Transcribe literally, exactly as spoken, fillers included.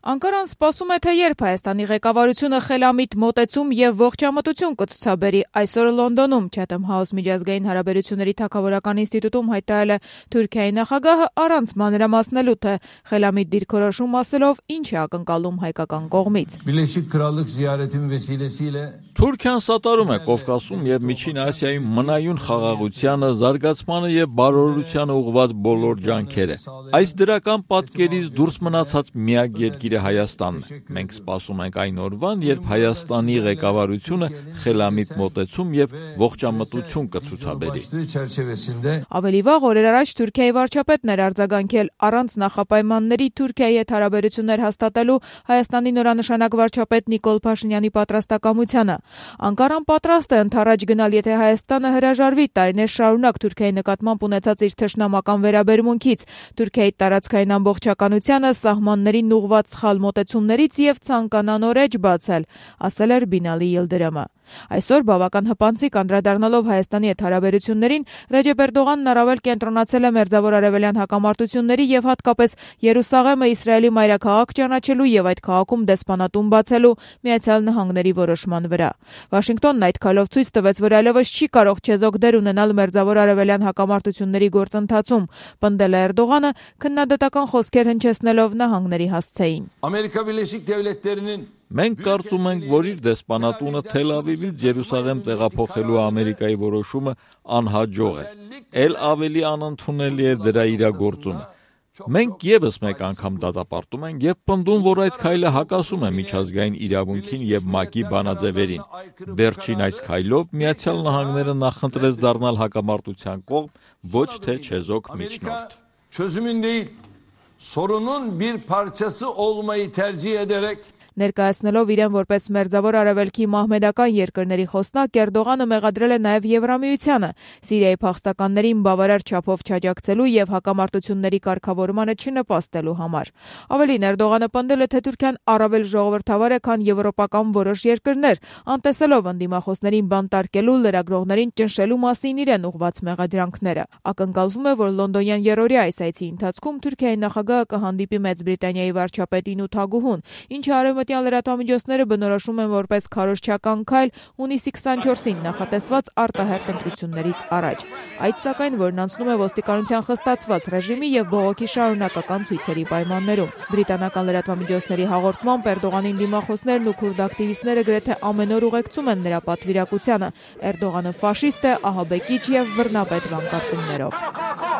Անկարան սպասում է, թե երբ Հայաստանի ղեկավարությունը խելամիտ մոտեցում եւ ողջամտություն կցուցաբերի։ Այսօր Լոնդոնում Chatham House միջազգային հարաբերությունների թագավորական ինստիտուտում հայտարարել է Թուրքիայի նախագահը առանց մանրամասնելու, թե խելամիտ դիրքորոշում ասելով ինչ է ակնկալում հայկական կողմից։ Թուրքիան սատարում է Կովկասում եւ Միջին Ասիայում մնայուն խաղաղությանը, զարգացմանը եւ բարօրությանը ուղղված բոլոր ջանքերը։ Այս դրական պատկերից դուրս մնացած միակ երկիրը Հայաստանն է։ Մենք սպասում ենք այն օրվան, երբ Հայաստանի ղեկավարությունը խելամիտ մոտեցում եւ ողջամտություն կցուցաբերի։ Ավելի վաղ օրեր առաջ Թուրքիայի վարչապետն էր արձագանքել առանց նախապայմանների Թուրքիայի հետ հարաբերություններ հաստատելու Հայաստանի նորանշանակ վարչապետ Նիկոլ Փաշինյանի պատրաստակամությանը։ Անկարան պատրաստ է ընդառաջ գնալ, եթե Հայաստանը հրաժարվի տարիներ շարունակ Թուրքիայի նկատմամբ ունեցած իր թշնամական վերաբերմունքից, Թուրքիայի տարածքային ամբողջականությանը, սահմաններին ուղղված սխալ մոտեցումներից եւ ցանկանա նոր էջ բացել, ասել էր Բինալի Yıldırımը։ Այսօր բավական հպանցիկ անդրադառնալով Հայաստանի հետ հարաբերություններին, Ռեջեփ Էրդողանն առավել կենտրոնացել է Մերձավոր Արևելյան հակամարտությունների եւ հատկապես Երուսաղեմը Իսրայելի մայրաքաղաք ճանաչելու եւ այդ քաղաքում դեսպանատուն բացելու Միացյալ Նահանգների որոշման վրա։ Վաշինգտոնն այդ քայլով ցույց տվեց, որ այլևս չի կարող չեզոք դեր ունենալ Մերձավոր Արևելյան հակամարտությունների գործընթացում, պնդել է Էրդողանը, քննադատական խոսքեր հնչեցնելով նահանգների հասցեին։ Ամերիկա Բիրլեշիկ Դևլետներinin Մենք կարծում ենք, որ իր դեսպանատունը Թել Ավիվից Երուսաղեմ տեղափոխելու Ամերիկայի որոշումը անհաջող է։ Էլ ավելի անընդունելի է դրա իրագործումը։ Մենք եւս մեկ անգամ դատապարտում ենք եւ պնդում, որ այդ քայլը հակասում է միջազգային իրավունքին եւ ՄԱԿ-ի բանաձևերին։ Վերջին այս քայլով Միացյալ Նահանգները նախընտրեց դառնալ հակամարտության կողմ, ոչ թե չեզոք միջնորդ։ Çözümün değil, sorunun bir parçası olmayı tercih ederek Ներկայացնելով իրեն որպես Մերձավոր Արևելքի մահմեդական երկրների խոսնակ, Էրդողանը մեղադրել է նաև Եվրամիությանը Սիրիայի փախստականներին բավարար չափով չաջակցելու եւ հակամարտությունների կարգավորմանը չնպաստելու համար։ Ավելին, Էրդողանը պնդել է, թե Թուրքիան առավել ժողովրդավար է, քան եվրոպական որոշ երկրներ, անտեսելով ընդդիմախոսներին բանտարկելու, լրագրողներին ճնշելու մասին իրեն ուղղված մեղադրանքները։ Ակնկալվում է, որ լոնդոնյան երրորդյա այս այցի ընթացքում Թուրքիայի նախագահը կհանդիպի Մեծ Բրիտանիայի վարչապետին ու թագուհուն, ինչը Արևմտյան լրատվամիջոցները բնորոշում են որպես քարոզչական քայլ հունիսի քսանչորսին նախատեսված արտահերթ ընտրություններից առաջ։ Այդ սակայն, որն անցնում է ոստիկանության խստացված ռեժիմի եւ բողոքի շարունակական ցույցերի պայմաններում։ Բրիտանական լրատվամիջոցների հաղորդմամբ Էրդողանին դիմախոսներն ու քուրդ ակտիվիստները գրեթե ամեն օր ուղեկցում են նրա պատվիրակությանը։ Էրդողանը ֆաշիստ է, ահաբեկիչ եւ բռնապետ վանկարկումներով։